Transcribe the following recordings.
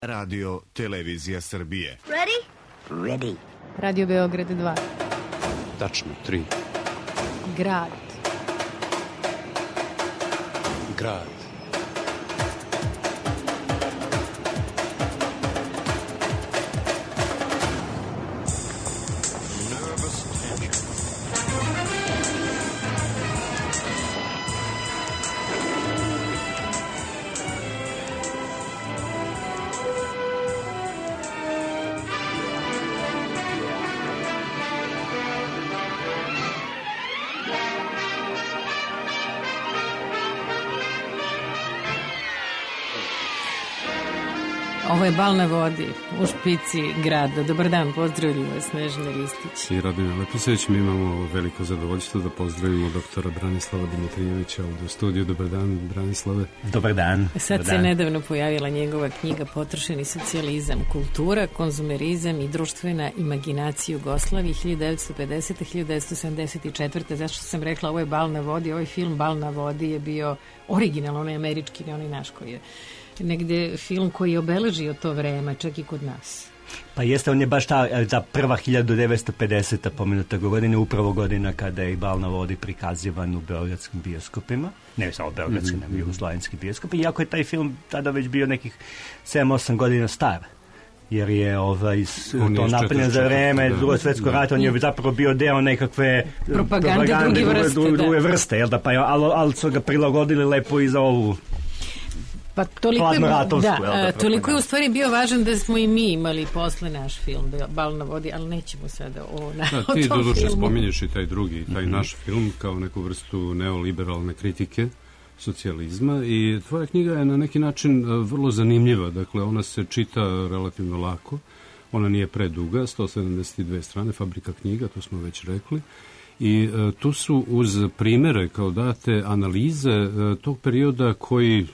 Radio Televizija Srbije. Ready? Ready. Radio Beograd 2. Tačno, 3. Grad. Grad. Ovo je Bal na vodi u špici grada. Dobar dan, pozdravljaju vas Snežana Ristić I Radmila Lepiseć. Mi imamo veliko zadovoljstvo da pozdravimo doktora Branislava Dimitrijevića u studiju. Dobar dan, Branislave. Dobar dan. Sad Dobar se dan. Nedavno pojavila njegova knjiga Potrošeni socijalizam, kultura, konzumerizam i društvena imaginacija Jugoslavije 1950-1974. Zašto sam rekla ovo je Bal na vodi? Ovaj film Bal na vodi je bio originalno, onaj američki, ne onaj naš koji je negde film koji je obeležio to vreme, čak i kod nas. Pa jeste, on je baš ta prva 1950. pomenuta godina, upravo godina kada je Bal na vodi prikazivan u beogradskim bioskopima. Ne samo beogradskim, nego jugoslavenskim bioskopima. Iako je taj film tada već bio nekih 7-8 godina star. Jer je to napravljeno za vreme Drugog svjetskog rata, on je zapravo bio deo nekakve propagande druge vrste, jel da? Pa, ali su ga prilagodili lepo i za ovu. Pa toliko je u stvari bio važan da smo i mi imali posle naš film Bal na vodi, ali nećemo sada o tom filmu. Ti doduše spominješ i taj drugi, taj naš film kao neku vrstu neoliberalne kritike socijalizma i tvoja knjiga je na neki način vrlo zanimljiva, dakle ona se čita relativno lako, ona nije preduga, 172 strane, fabrika knjiga, to smo već rekli. I tu su uz primere kao date analize tog perioda koji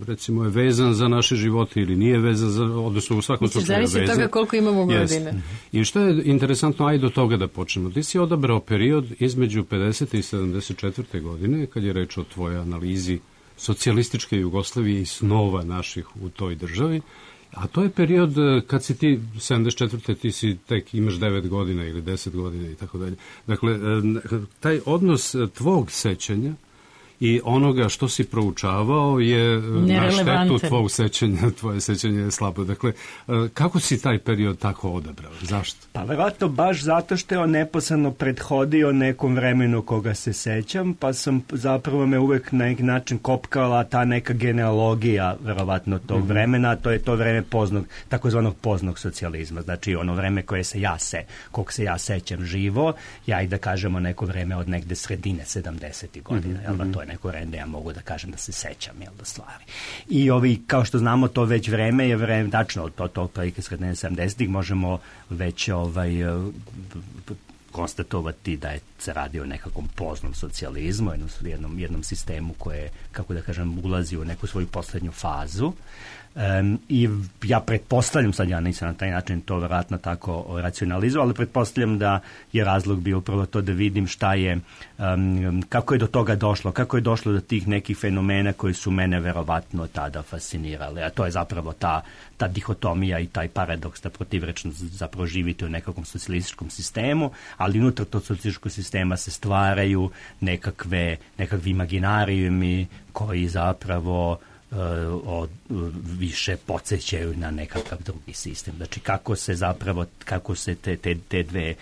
recimo je vezan za naše živote ili nije vezan za, odnosno u svakom slučaju vezan. Zavisi od toga koliko imamo godina. I što je interesantno, ajde do toga da počnemo. Ti si odabrao period između 50. i 74. godine, kad je reč o tvojoj analizi socijalističke Jugoslavije i snova naših u toj državi. A to je period kad si ti 74. ti si tek imaš 9 godina ili 10 godina i tako dalje. Dakle, taj odnos tvog sećanja i onoga što si proučavao je na štetu tvog sećanja, tvoje sećanje je slabo. Dakle, kako si taj period tako odabrao? Zašto? Pa verovatno baš zato što je on neposredno prethodio nekom vremenu koga se sećam, pa sam zapravo me uvek na neki način kopkala ta neka genealogija verovatno tog vremena, to je to vreme takozvanog poznog socijalizma, znači ono vreme koje kog se ja sećam živo, ja i da kažemo neko vreme od negde sredine 70. godina, jel da to je neko vreme, ja mogu da kažem da se sećam, jel da stvari. I kao što znamo, to već vreme je vreme, tačno od tog prilike sredine 70. možemo već konstatovati da se radi o nekakvom poznom socijalizmu, jednom sistemu koje, kako da kažem, ulazi u neku svoju poslednju fazu. I ja pretpostavljam, sad ja nisam na taj način to vjerojatno tako racionalizovao, ali pretpostavljam da je razlog bio upravo to da vidim šta je, kako je do toga došlo, kako je došlo do tih nekih fenomena koji su mene verovatno tada fascinirali, a to je zapravo ta dihotomija i taj paradoks da protivrečno zapravo živite u nekakvom socijalističkom sistemu, ali unutar tog socijalističkog sistema se stvaraju nekakvi imaginarijumi koji zapravo više podsjećaju na nekakav drugi sistem. Znači kako se te dve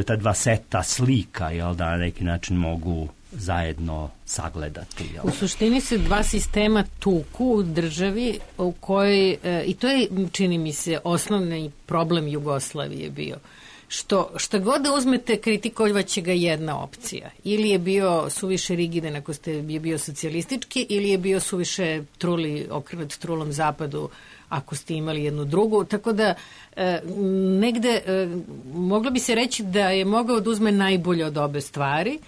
ta dva seta slika, jel da, na neki način mogu zajedno sagledati. Jel? U suštini se dva sistema tuku u državi u kojoj, i to je, čini mi se, osnovni problem Jugoslavije bio. Što god da uzmete, kritikovaće ga jedna opcija. Ili je bio suviše rigidan ako je bio socijalistički, ili je bio suviše okrenut trulom zapadu ako ste imali jednu drugu. Tako da negde moglo bi se reći da je mogao da uzme najbolje od obe stvari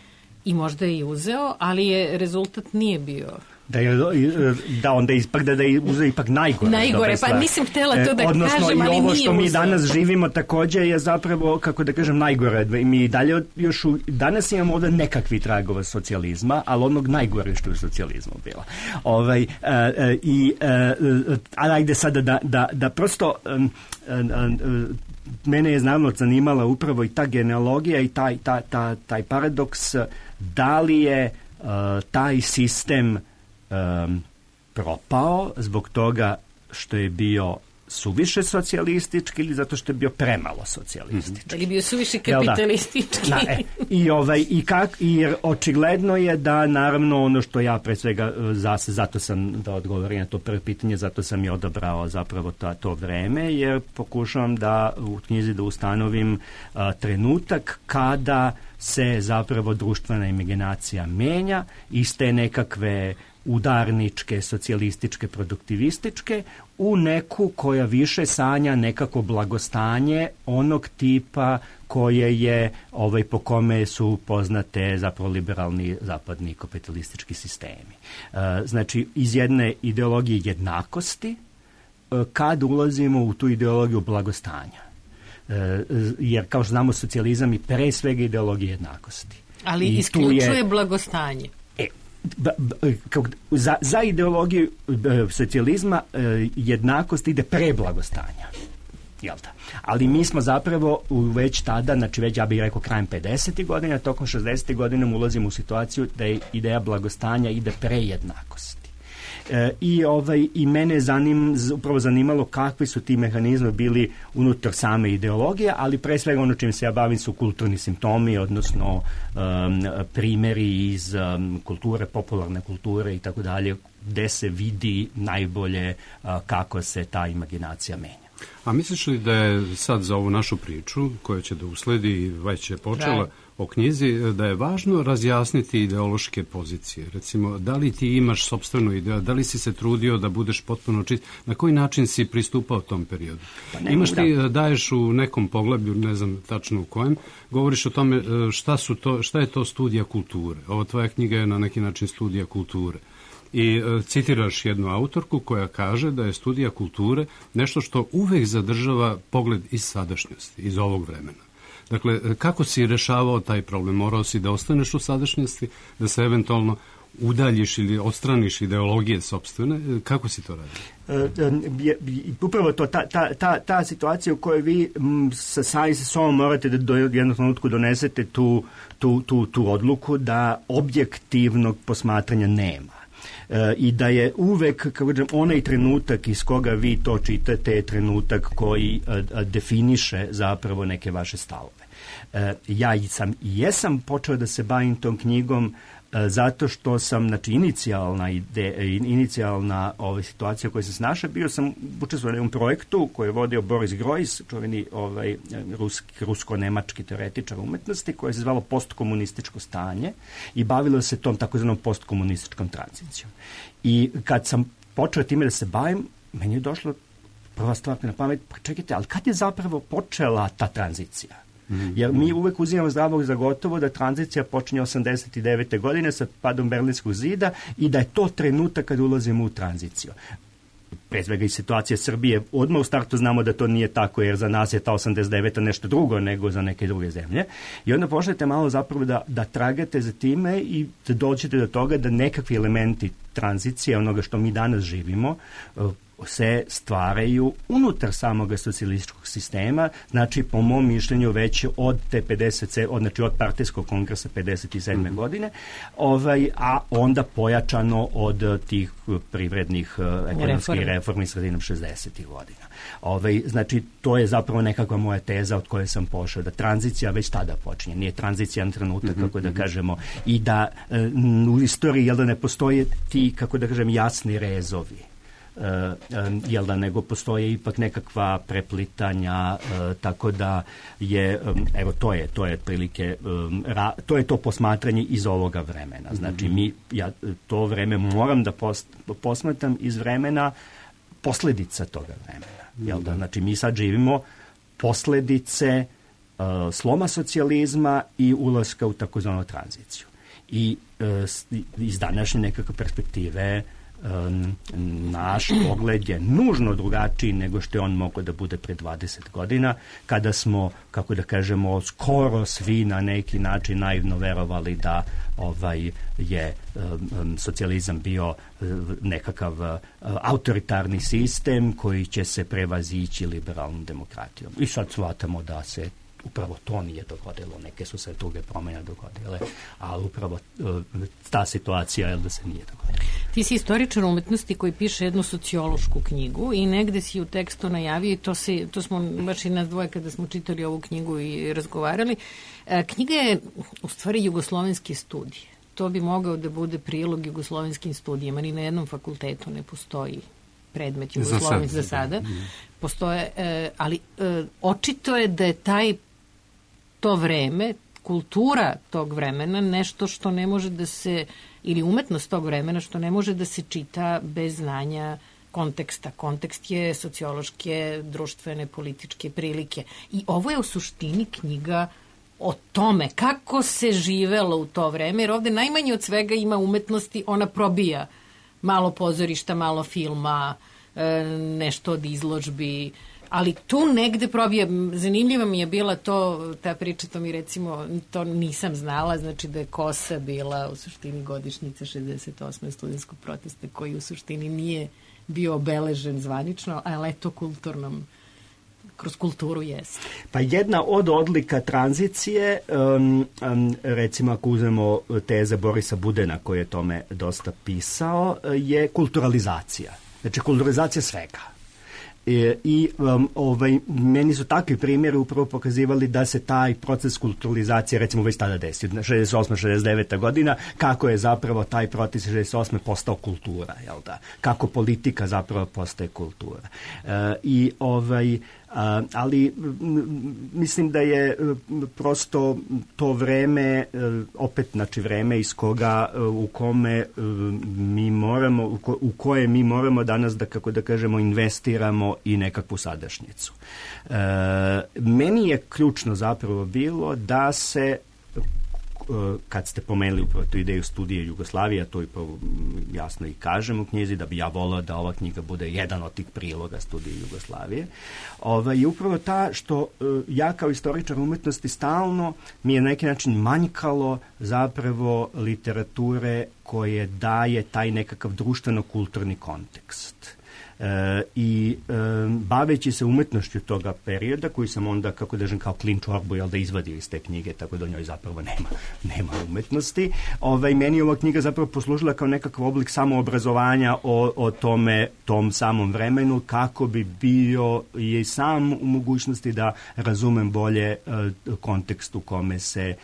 i možda je i uzeo, ali rezultat nije bio da onda ispada da je uzeo ipak najgore. Najgore, pa nisam htjela to da odnosno, kažem, ali nije uzeo. Odnosno, i ovo što mi danas živimo takođe je zapravo, kako da kažem, najgore. Mi dalje još danas imamo ovdje nekakvi tragova socijalizma, ali onog najgore što je u socijalizmu bila. Ali ajde sada da prosto mene je naravno zanimala upravo i ta genealogija i taj paradoks, da li je taj sistem propao zbog toga što je bio suviše socijalistički ili zato što je bio premalo socijalistički. Ili bio suviše kapitalistički. Jer očigledno je da, naravno, ono što ja pre svega, zato sam, da odgovorim na to prvo pitanje, zato sam i odabrao zapravo to vreme, jer pokušavam da u knjizi da ustanovim trenutak kada se zapravo društvena imaginacija menja iz te nekakve udarničke, socijalističke, produktivističke u neku koja više sanja nekako blagostanje onog tipa koje je po kome su poznate zapravo liberalni zapadni kapitalistički sistemi. Znači, iz jedne ideologije jednakosti kad ulazimo u tu ideologiju blagostanja. Jer kao što znamo, socijalizam i pre svega ideologija jednakosti. Ali isključuje blagostanje. Za ideologiju socijalizma jednakost ide pre blagostanja. Ali mi smo zapravo već tada, znači već ja bih rekao krajem 50. godina, tokom 60. godina ulazimo u situaciju da je ideja blagostanja ide pre jednakosti. I mene upravo zanimalo kakvi su ti mehanizmi bili unutar same ideologije, ali pre svega ono čim se ja bavim su kulturni simptomi, odnosno primjeri iz kulture, popularne kulture i tako dalje, gde se vidi najbolje kako se ta imaginacija menja. A misliš li da je sad za ovu našu priču, koja će da usledi i već je počela o knjizi, da je važno razjasniti ideološke pozicije? Recimo, da li ti imaš sopstvenu ideju, da li si se trudio da budeš potpuno čist, na koji način si pristupao tom periodu? Imaš ti, daješ u nekom poglavlju, ne znam tačno u kojem, govoriš o tome šta je to studija kulture. Ova tvoja knjiga je na neki način studija kulture. I citiraš jednu autorku koja kaže da je studija kulture nešto što uvek zadržava pogled iz sadašnjosti, iz ovog vremena. Dakle, kako si rešavao taj problem? Morao si da ostaneš u sadašnjosti, da se eventualno udaljiš ili odstraniš ideologije sopstvene? Kako si to radio? Upravo to, ta situacija u kojoj vi sa sobom morate da do jednog trenutku donesete tu odluku da objektivnog posmatranja nema. I da je uvek, kako kažem, onaj trenutak iz koga vi to čitate je trenutak koji definiše zapravo neke vaše stavove. Ja jesam počeo da se bavim tom knjigom zato što sam, znači, inicijalna situacija u kojoj sam se našao, bio sam učestvovao u jednom projektu koji je vodio Boris Grojs, čuveni rusko-nemački teoretičar umetnosti, koje se zvalo postkomunističko stanje i bavilo se tom takozvanom postkomunističkom tranzicijom. I kad sam počeo time da se bavim, meni je došlo prva stvar na pamet, pa čekajte, ali kad je zapravo počela ta tranzicija? Jer mi uvek uzimamo zdravog za gotovo da tranzicija počinje 89. godine sa padom Berlinskog zida i da je to trenutak kad ulazimo u tranziciju. Pre svega i situacija Srbije, odmah u startu znamo da to nije tako, jer za nas je ta 89. nešto drugo nego za neke druge zemlje. I onda počnete malo zapravo da tragate za time i da dođete do toga da nekakvi elementi tranzicije, onoga što mi danas živimo, se stvaraju unutar samog socijalističkog sistema, znači po mom mišljenju već od te 50, znači od partijskog kongresa 57. godine, a onda pojačano od tih privrednih ekonomskih reformi sredinom 60. godina. Znači, to je zapravo nekakva moja teza od koje sam pošao, da tranzicija već tada počinje. Nije tranzicija na trenutak, kako da kažemo, i da u istoriji, jel da ne postoje ti, kako da kažem, jasni rezovi, nego postoje ipak nekakva preplitanja, tako da je, evo, to je otprilike, to je to posmatranje iz ovoga vremena. Znači, ja to vreme moram da posmatram iz vremena posledica toga vremena. Znači, mi sad živimo posledice sloma socijalizma i ulaska u takozvanu tranziciju. i iz današnje nekakve perspektive naš pogled je nužno drugačiji nego što je on mogao da bude pre 20 godina, kada smo, kako da kažemo, skoro svi na neki način naivno verovali da je socijalizam bio nekakav autoritarni sistem koji će se prevazići liberalnom demokratijom. I sad shvatamo da se upravo to nije dogodilo, neke su se druge promjene dogodile, ali upravo ta situacija je da se nije dogodila. Ti si istoričar umetnosti koji piše jednu sociološku knjigu i negde si u tekstu najavio, i to smo baš i nas dvoje kada smo čitali ovu knjigu i razgovarali. Knjiga je u stvari jugoslovenske studije. To bi mogao da bude prilog jugoslovenskim studijama, ni na jednom fakultetu ne postoji predmet jugoslovenski za sada. Postoje, ali očito je da je to vreme, kultura tog vremena, nešto što ne može da se, ili umetnost tog vremena, što ne može da se čita bez znanja konteksta. Kontekst je sociološke, društvene, političke prilike. I ovo je u suštini knjiga o tome kako se živelo u to vreme, jer ovde najmanje od svega ima umetnosti, ona probija malo pozorišta, malo filma, nešto od izložbi, ali tu negde probija. Zanimljiva mi je bila ta priča, to mi recimo, to nisam znala, znači da je Kosa bila u suštini godišnjica 68. studentskog protesta, koji u suštini nije bio obeležen zvanično, ali eto kroz kulturu jeste. Pa jedna od odlika tranzicije, recimo ako uzmemo teze Borisa Budena, koji je tome dosta pisao, je kulturalizacija. Znači, kulturalizacija svega. Meni su takvi primjeri upravo pokazivali da se taj proces kulturalizacije recimo već tada desio, 68-69. godina, kako je zapravo taj proces 68. postao kultura, jel da? Kako politika zapravo postaje kultura. Ali mislim da je prosto to vreme, opet znači vreme iz koga, u koje mi moramo danas da, kako da kažemo, investiramo i nekakvu sadašnjicu. Meni je ključno zapravo bilo da se, kad ste pomenuli upravo tu ideju studije Jugoslavije, to i jasno i kažem u knjizi, da bi ja volao da ova knjiga bude jedan od tih priloga studije Jugoslavije. I upravo ta što ja kao istoričar umetnosti stalno mi je na neki način manjkalo zapravo literature koje daje taj nekakav društveno-kulturni kontekst. Baveći se umetnošću toga perioda, koji sam onda, kako kažem, kao klin čorbu, da izvadio iz te knjige, tako da u njoj zapravo nema umetnosti. Meni je ova knjiga zapravo poslužila kao nekakav oblik samoobrazovanja o tom samom vremenu, kako bi bio i sam u mogućnosti da razumem bolje kontekst u kome se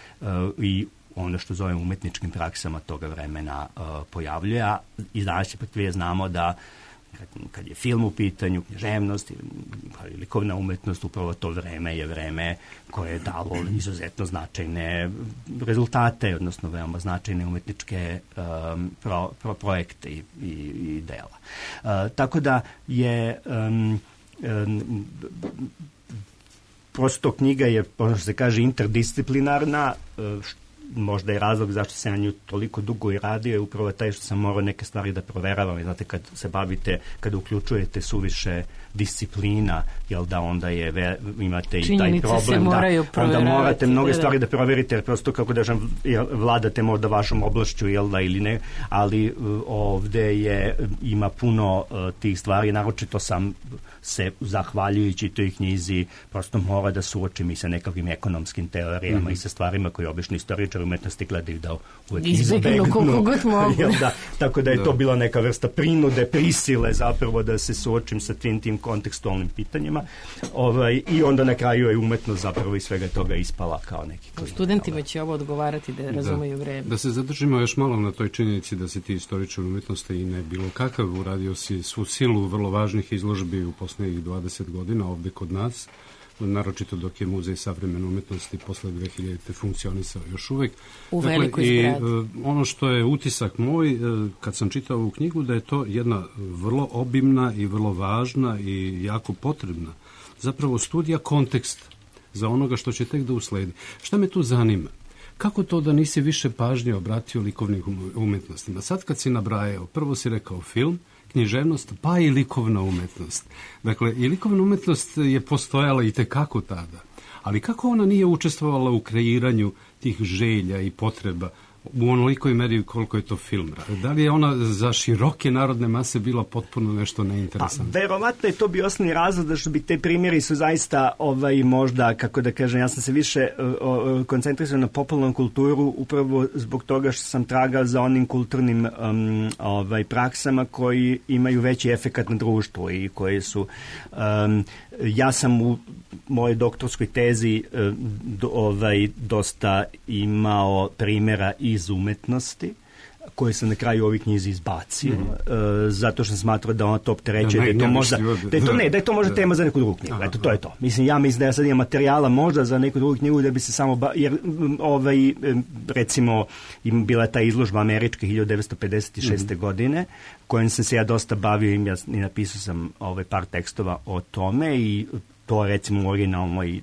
i ono što zovem umetničkim praksama toga vremena pojavljuje. A iz današnje perspektive znamo da kad je film u pitanju, književnost ili likovna umetnost, upravo to vreme je vreme koje je dalo izuzetno značajne rezultate, odnosno veoma značajne umetničke projekte i dela. Tako da je prosto knjiga je, možda se kaže, interdisciplinarna, možda je razlog zašto se na nju toliko dugo i radio je upravo taj što sam morao neke stvari da proveravam. I znate, kad se bavite, kada uključujete suviše disciplina, jel da onda imate i taj problem da onda morate mnoge stvari da proverite, jer prosto, kako da vladate možda vašom oblašću, jel da, ili ne, ali ovde ima puno tih stvari, naročito sam se, zahvaljujući toj knjizi, prosto mora da suočim i sa nekakvim ekonomskim teorijama i sa stvarima koje obično istoričari umetnosti gledaju da uvek izbegnu. Tako da je to bila neka vrsta prinude, prisile zapravo da se suočim sa tim kontekstualnim pitanjima. I onda na kraju je umetnost zapravo iz svega toga ispala kao neki klin. Studentima će ovo odgovarati da razumeju vreme. Da se zadržimo još malo na toj činjenici da si ti istoričar umetnosti i ne bilo kakav, uradio si svu silu vrlo važnih izložbi u poslednjih 20 godina ovde kod nas, naročito dok je Muzej savremene umetnosti posle 2000. funkcionisao još uvek. U velikoj zgradi. Ono što je utisak moj, kad sam čitao ovu knjigu, da je to jedna vrlo obimna i vrlo važna i jako potrebna zapravo studija konteksta za onoga što će tek da usledi. Šta me tu zanima? kako to da nisi više pažnje obratio likovnim umetnostima? Sad kad si nabrajao, prvo si rekao film, književnost, pa i likovna umetnost. Dakle, i likovna umetnost je postojala i tekako tada. Ali kako ona nije učestvovala u kreiranju tih želja i potreba u onolikoj meri koliko je to film? Da li je ona za široke narodne mase bila potpuno nešto neinteresantno? Pa, verovatno je to bio osnovni razlog da što bi te primjeri su zaista možda, kako da kažem, ja sam se više koncentrisao na popularnu kulturu upravo zbog toga što sam tragao za onim kulturnim praksama koji imaju veći efekat na društvo i koje su ja sam u mojoj doktorskoj tezi dosta imao primjera iz umetnosti koje sam na kraju ovih knjizi izbacio, zato što sam smatrao da ona to opterećuje, da je to možda tema za neku drugu knjigu. Eto, to je to. Mislim da ja sad imam materijala možda za neku drugu knjigu da bi se samo, jer recimo bila ta izložba američka 1956. godine, kojom sam se ja dosta bavio i napisao sam par tekstova o tome i to recimo u originalnoj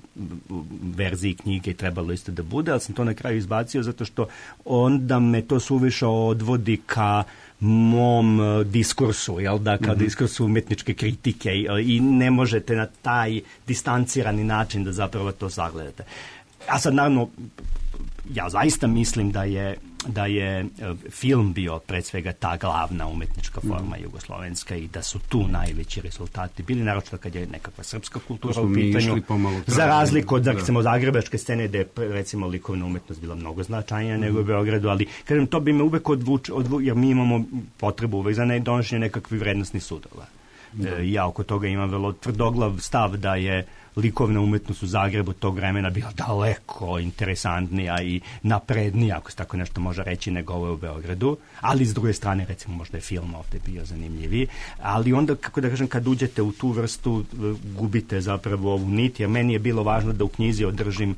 verziji knjige trebalo isto da bude, ali sam to na kraju izbacio zato što onda me to suviše odvodi ka mom diskursu, jel da, kao diskursu umetničke kritike i ne možete na taj distancirani način da zapravo to sagledate. A sad naravno, ja zaista mislim da je film bio pred svega ta glavna umetnička forma jugoslovenska i da su tu najveći rezultati bili, naročito kad je nekakva srpska kultura u pitanju, za razliku od recimo zagrebačke scene gde je recimo likovna umetnost bila mnogo značajnija nego u Beogradu, ali kažem, to bi me uvek jer mi imamo potrebu uvek za donošenje nekakvih vrednostnih sudova. Ja oko toga imam vrlo tvrdoglav stav da je likovna umetnost u Zagrebu tog vremena bila daleko interesantnija i naprednija, ako se tako nešto može reći, nego ovo u Beogradu, ali s druge strane, recimo, možda je film ovde bio zanimljiviji, ali onda, kako da kažem, kad uđete u tu vrstu, gubite zapravo ovu nit, jer meni je bilo važno da u knjizi održim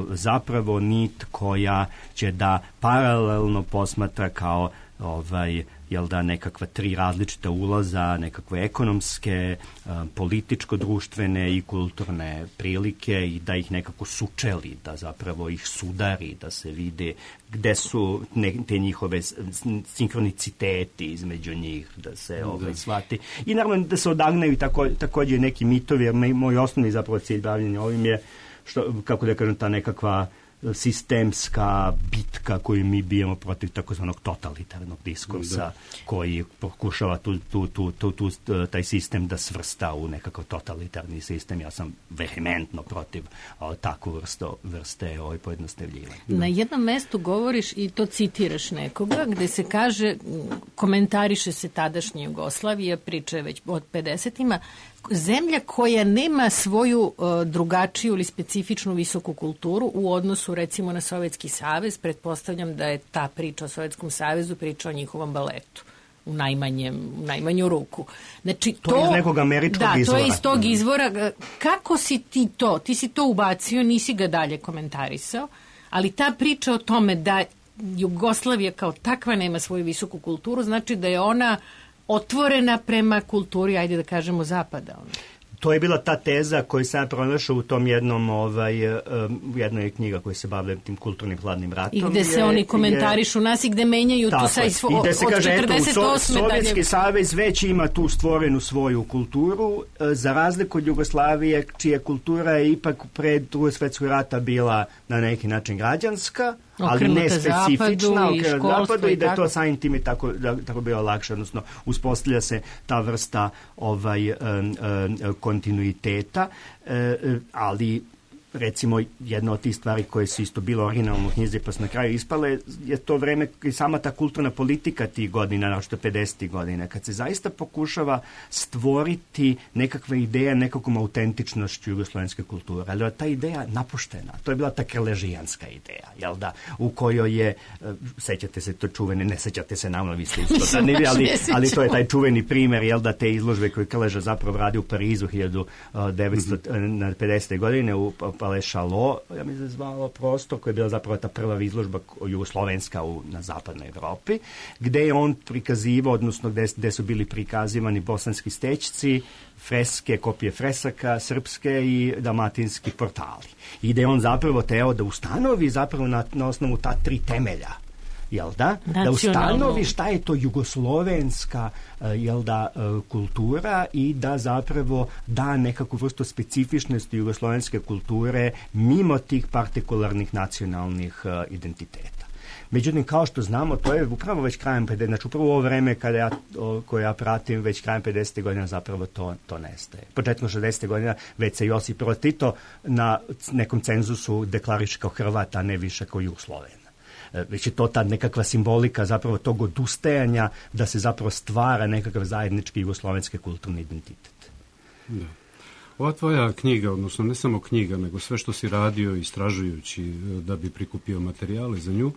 zapravo nit koja će da paralelno posmatra kao jel da, nekakva tri različita ulaza, nekakve ekonomske, političko-društvene i kulturne prilike i da ih nekako sučeli, da zapravo ih sudari, da se vide gde su te njihove sinkroniciteti između njih, da se shvati. I naravno da se odagnaju također neki mitovi, jer moj osnovni zapravo cilj bavljenja ovim je, kako da kažem, ta nekakva sistemska bitka koju mi bijemo protiv takozvanog totalitarnog diskursa koji pokušava taj sistem da svrsta u nekakav totalitarni sistem. Ja sam vehementno protiv takvu vrste pojednostavljivanja. Na jednom mestu govoriš i to citiraš nekoga gde se kaže, komentariše se tadašnja Jugoslavija, priča je već od 50-ima, zemlja koja nema svoju drugačiju ili specifičnu visoku kulturu u odnosu recimo na Sovjetski savez, pretpostavljam da je ta priča o Sovjetskom savezu priča o njihovom baletu u najmanju ruku. Znači, to je iz nekog američkog izvora. Da, to je iz tog izvora. Kako si ti to? Ti si to ubacio, nisi ga dalje komentarisao, ali ta priča o tome da Jugoslavija kao takva nema svoju visoku kulturu, znači da je ona otvorena prema kulturi, ajde da kažemo, zapada. To je bila ta teza koju sam pronašao u tom jednom, jednoj knjiga koja se bavlja tim kulturnim hladnim ratom. I gde se oni komentarišu nas i gde menjaju tu sa i gde se kaže, eto, Sovjetski savez već ima tu stvorenu svoju kulturu, za razliku od Jugoslavije, čija kultura je ipak pred Drugog svjetskog rata bila na neki način građanska, ali ne specifična, okrenuta zapadu i da je to samim tim tako bilo lakše, odnosno uspostavlja se ta vrsta kontinuiteta, ali recimo jedna od tih stvari koje su isto bilo originalno u knjizi pa su na kraju ispale je to vreme i sama ta kulturna politika tih godina, našto 50. godina, kad se zaista pokušava stvoriti nekakva ideja nekakvom autentičnošću jugoslovenske kulture, ali ta ideja napuštena, to je bila ta krležijanska ideja, jel da, u kojoj je, sećate se to čuvene, ne sećate se naravno, vi ste isto ali to je taj čuveni primer, jel da, te izložbe koje Krleža zapravo radi u Parizu 1950. godine u Palais Chalot, ja mi se zvalo prostor, koja je bila zapravo ta prva izložba jugoslovenska na zapadnoj Evropi, gde je on prikazivao, odnosno gde su bili prikazivani bosanski stećci, freske, kopije fresaka srpske i dalmatinski portali. I da je on zapravo teo da ustanovi zapravo na osnovu ta tri temelja, jel da? Da ustanovi šta je to jugoslovenska, jel da, kultura i da zapravo da nekakvu vrstu specifičnosti jugoslovenske kulture mimo tih partikularnih nacionalnih identiteta. Međutim, kao što znamo, to je upravo već krajem 50, znači upravo ovo vreme koje ja pratim, već krajem 50. godina zapravo to nestaje. Početkom 60. godina već se Josip Broz Tito na nekom cenzusu deklariše kao Hrvat, a ne više kao Jugosloven. Već je to ta nekakva simbolika zapravo tog odustajanja da se zapravo stvara nekakav zajednički jugoslovenski kulturni identitet. Da. Ova tvoja knjiga, odnosno ne samo knjiga, nego sve što si radio istražujući da bi prikupio materijale za nju,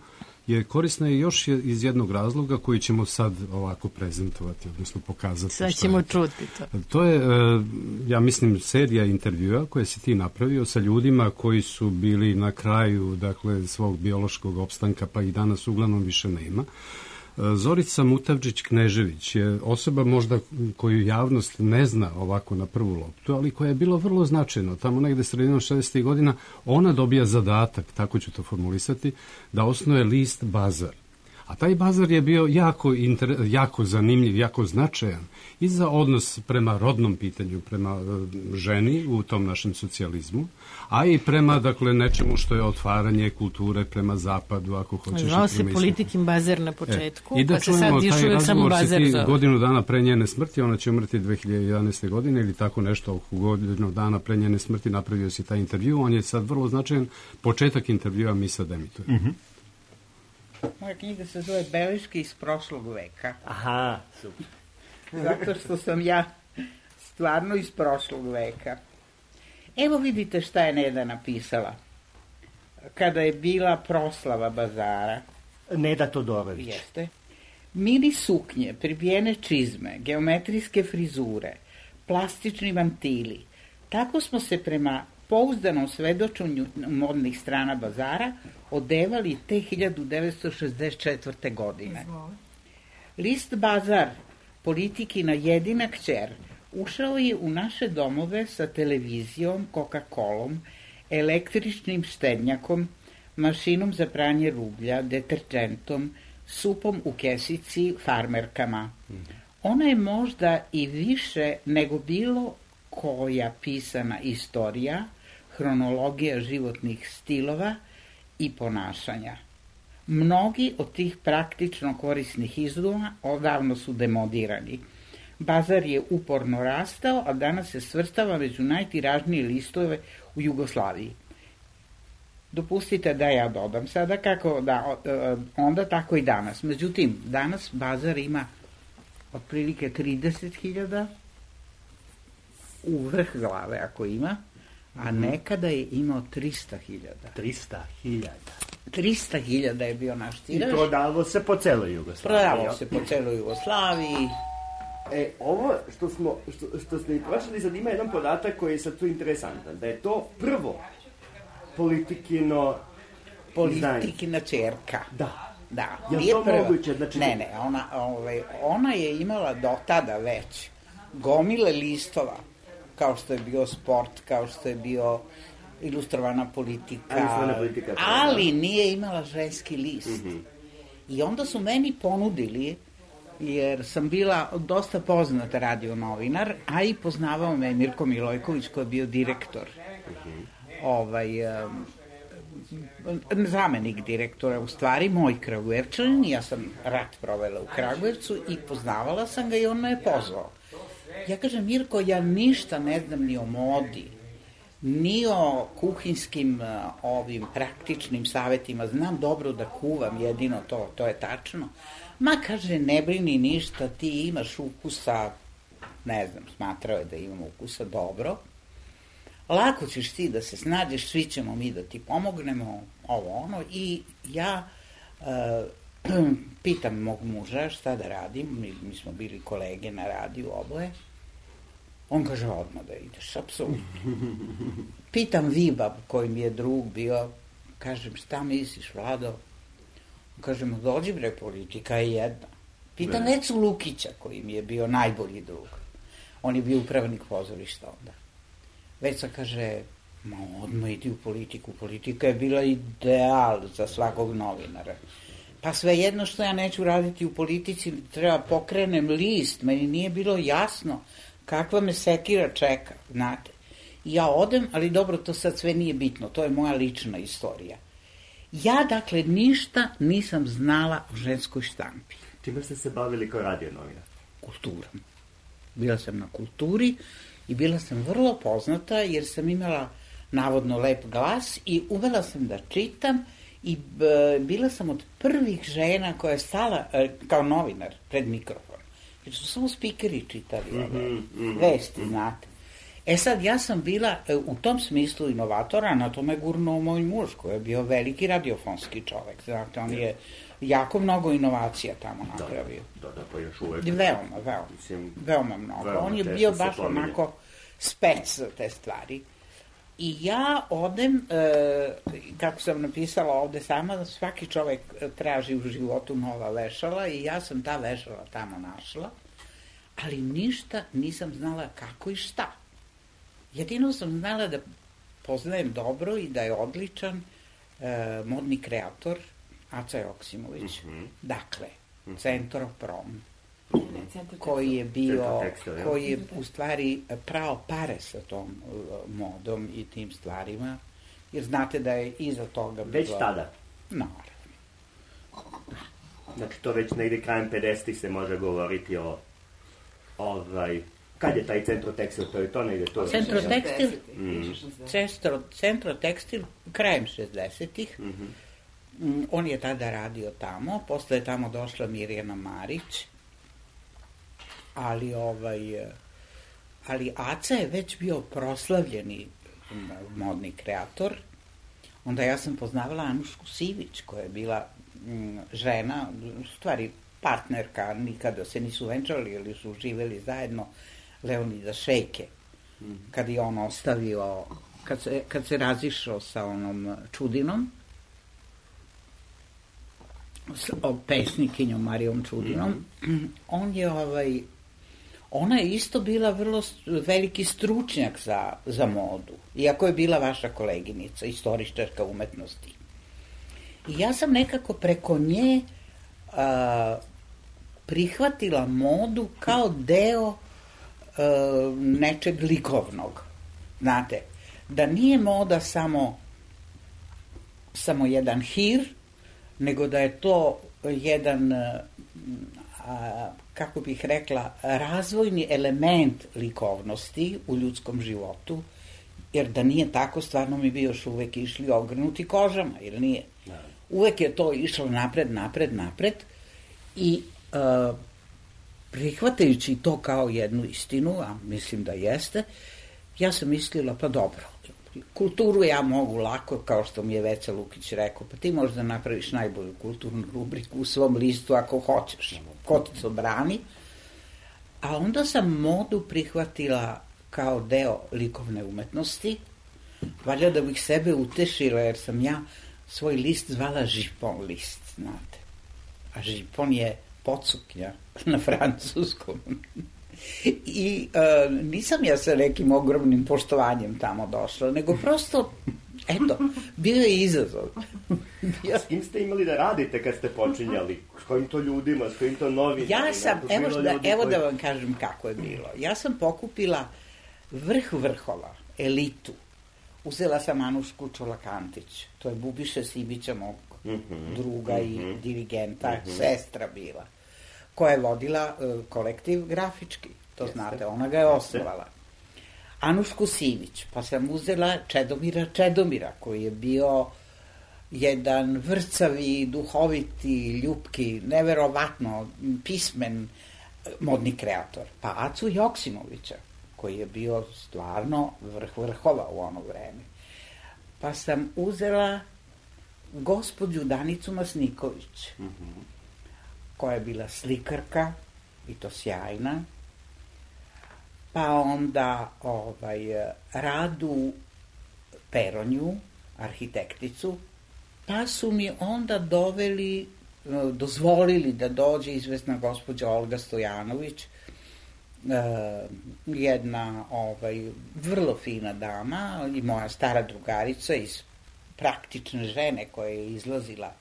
je korisna i još iz jednog razloga koji ćemo sad ovako prezentovati, odnosno pokazati. Sad ćemo čuti to. To je, ja mislim, serija intervjua koje si ti napravio sa ljudima koji su bili na kraju, dakle, svog biološkog opstanka, pa i danas uglavnom više nema. Zorica Mutavčić-Knežević je osoba možda koju javnost ne zna ovako na prvu loptu, ali koja je bilo vrlo značajno. Tamo negde sredinom 60. godina ona dobija zadatak, tako ću to formulisati, da osnuje list Bazar. A taj Bazar je bio jako zanimljiv, jako značajan i za odnos prema rodnom pitanju, prema ženi u tom našem socijalizmu, a i prema, dakle, nečemu što je otvaranje kulture prema zapadu, ako hoćeš. Zvao se Politikin Bazar na početku, i da pa se sad još uvijek samo Bazar zove. Godinu dana pre njene smrti, ona će umrti 2011. godine ili tako nešto, oko godinu dana pre njene smrti napravio si taj intervju, on je sad vrlo značajan, početak intervjua mi sad emitujemo. Moja knjiga se zove Beleške iz prošlog veka. Aha, super. Zato što sam ja stvarno iz prošlog veka. Evo vidite šta je Neda napisala. Kada je bila proslava Bazara. Neda Todorović. Jeste. Mini suknje, pribijene čizme, geometrijske frizure, plastični vantili. Tako smo se prema pouzdanom svedočenju modnih strana Bazara odevali te 1964. godine. List Bazar, Politikina jedina kćer, ušao je u naše domove sa televizijom, Coca-Colom, električnim štednjakom, mašinom za pranje rublja, deterđentom, supom u kesici, farmerkama. Ona je možda i više nego bilo koja pisana istorija, hronologija životnih stilova i ponašanja. Mnogi od tih praktično korisnih izuma odavno su demodirani. Bazar je uporno rastao, a danas se svrstava među najtiražnije listove u Jugoslaviji. Dopustite da ja dodam sada kako da onda tako i danas. Međutim, danas Bazar ima otprilike 30.000 u vrh glave ako ima, a nekada je imao 300.000. 300.000 je bio naš tiraž. I prodavao se po celoj Jugoslaviji. Ovo što ste i prošli, sad ima jedan podatak koji je sad tu interesantan, da je to prvo Politikina čerka. Da. Je to moguće? Znači... Ne, ona je imala do tada već gomile listova, kao što je bio Sport, kao što je bio Ilustrovana politika, ali nije imala ženski list. I onda su meni ponudili, jer sam bila dosta poznat radio novinar, a i poznavao me Mirko Milojković koji je bio direktor, zamenik direktora, u stvari moj Kragujevčanin, ja sam rat provela u Kragujevcu i poznavala sam ga i on me je pozvao. Ja kažem, Mirko, ja ništa ne znam ni o modi, ni o kuhinskim ovim praktičnim savjetima, znam dobro da kuvam, jedino to je tačno. Ma, kaže, ne brini ništa, ti imaš ukusa, ne znam, smatrao je da imam ukusa dobro, lako ćeš ti da se snađeš, svi ćemo mi da ti pomognemo, i ja pitam mog muža šta da radim, mi smo bili kolege na radiju oboje, On kaže, odmah da ideš, apsolutno. Pitam Viba, koji mi je drug bio, kažem, šta misliš, Vlado? On kaže, dođi bre, politika je jedna. Pitam Necu Lukića, koji mi je bio najbolji drug. On je bio upravnik pozorišta onda. Veca kaže, odmah idi u politiku. Politika je bila ideal za svakog novinara. Pa svejedno što ja neću raditi u politici, treba pokrenem list, meni nije bilo jasno kakva me sekira čeka, znate. I ja odem, ali dobro, to sad sve nije bitno, to je moja lična istorija. Ja, dakle, ništa nisam znala o ženskoj štampi. Čime ste se bavili kao radio novinar? Kulturom. Bila sam na kulturi i bila sam vrlo poznata jer sam imala navodno lep glas i umela sam da čitam i bila sam od prvih žena koja je stala kao novinar pred mikrofon. Jer su samo spikeri čitali vesti, znate. E sad, ja sam bila u tom smislu inovatora, na tome gurnuo moj muž, koji je bio veliki radiofonski čovek. Znate, on je jako mnogo inovacija tamo napravio. Da, pa još uvek. Veoma mnogo. On je bio baš onako spec za te stvari. I ja odem, kako sam napisala ovde sama, svaki čovek traži u životu nova vešala i ja sam ta vešala tamo našla, ali ništa nisam znala kako i šta. Jedino sam znala da poznajem dobro i da je odličan modni kreator Aca Joksimović. Dakle, Centroprom, koji je bio, koji je u stvari prao pare sa tom modom i tim stvarima, jer znate da je iza toga bilo... Već tada? Naravno. Znači, to već negde krajem 50-ih se može govoriti o kad je taj Centrotekstil, to je to negde to? Centrotekstil krajem 60-ih. On je tada radio tamo, posle je tamo došla Mirjana Marić, ali Aca je već bio proslavljeni modni kreator. Onda ja sam poznavala Anušku Sivić, koja je bila žena, u stvari partnerka, nikada se nisu venčali ili su živeli zajedno, Leonida Šejke, kad je on ostavio, kad se razišao sa onom Čudinom, pesnikinjom Marijom Čudinom, ona je isto bila vrlo veliki stručnjak za modu, iako je bila vaša koleginica, istoričarka umetnosti. I ja sam nekako preko nje prihvatila modu kao deo nečeg likovnog. Znate, da nije moda samo jedan hir, nego da je to jedan, kako bih rekla, razvojni element likovnosti u ljudskom životu, jer da nije tako, stvarno mi bi još uvek išli ogrnuti kožama, jer nije. Uvek je to išlo napred i prihvatajući to kao jednu istinu, a mislim da jeste, ja sam mislila, pa dobro, kulturu ja mogu lako, kao što mi je Veca Lukić rekao, pa ti možda napraviš najbolju kulturnu rubriku u svom listu ako hoćeš, ko ti to brani. A onda sam modu prihvatila kao deo likovne umetnosti, valjda da bih sebe utešila, jer sam ja svoj list zvala Žipon list, znate. A žipon je pocuknja na francuskom. I nisam ja sa nekim ogromnim poštovanjem tamo došla, nego prosto, eto, bio je izazov. S kim ste imali da radite kad ste počinjali? S kojim to ljudima, s kojim to novinarima? Ja sam, evo da vam kažem kako je bilo. Ja sam pokupila vrh vrhova, elitu. Uzela sam Anušku Čolakantić, to je Bubiše Sibića, mog druga i dirigenta, sestra bila, koja je vodila kolektiv grafički, to znate, ona ga je osnovala. Anušku Sivić, pa sam uzela Čedomira, koji je bio jedan vrcavi, duhoviti, ljupki, neverovatno pismen modni kreator. Pa Acu Joksimovića, koji je bio stvarno vrh vrhova u ono vreme. Pa sam uzela gospođu Danicu Masniković, koja je bila slikarka, i to sjajna, pa onda Radu Peronju, arhitekticu, pa su mi onda dozvolili da dođe izvesna gospođa Olga Stojanović, jedna vrlo fina dama i moja stara drugarica iz Praktične žene koja je izlazila